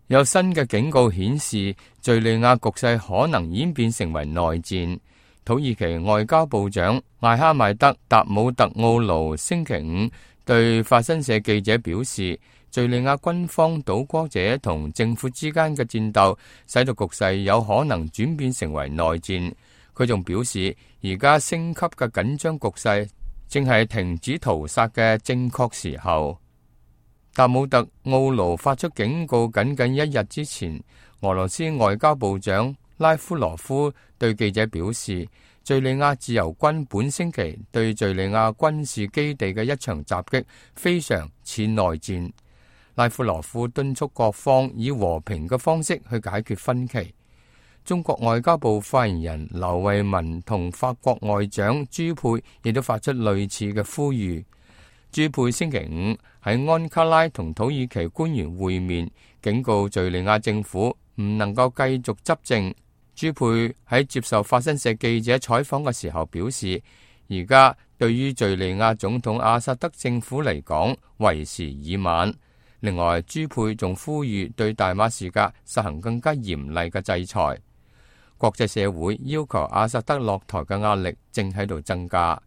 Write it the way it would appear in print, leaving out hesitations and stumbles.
有新嘅警告顯示，敘利亞局勢可能演變成為內戰。土耳其外交部長艾哈邁德·達姆特奧盧星期五對法新社記者表示，敘利亞軍方倒戈者同政府之間嘅戰鬥，使到局勢有可能轉變成為內戰。佢仲表示，而家升級嘅緊張局勢正係停止屠殺嘅正確時候。達姆特奧盧發出警告僅僅一日之前，俄羅斯外交部長拉夫羅夫對記者表示，敘利亞自由軍本星期對敘利亞軍事基地嘅一場襲擊非常似內戰。拉夫羅夫敦促各方以和平嘅方式去解決分歧。中國外交部發言人劉慧文同法國外長朱佩亦都發出類似嘅呼籲。朱佩星期五喺安卡拉同土耳其官員會面，警告敘利亞政府唔能夠繼續執政。朱佩喺接受法新社記者採訪嘅時候表示，而家對於敘利亞總統阿薩德政府嚟講，為時已晚。另外，朱佩仲呼籲對大馬士革實行更加嚴厲嘅制裁。國際社會要求阿薩德落台嘅壓力正喺度增加。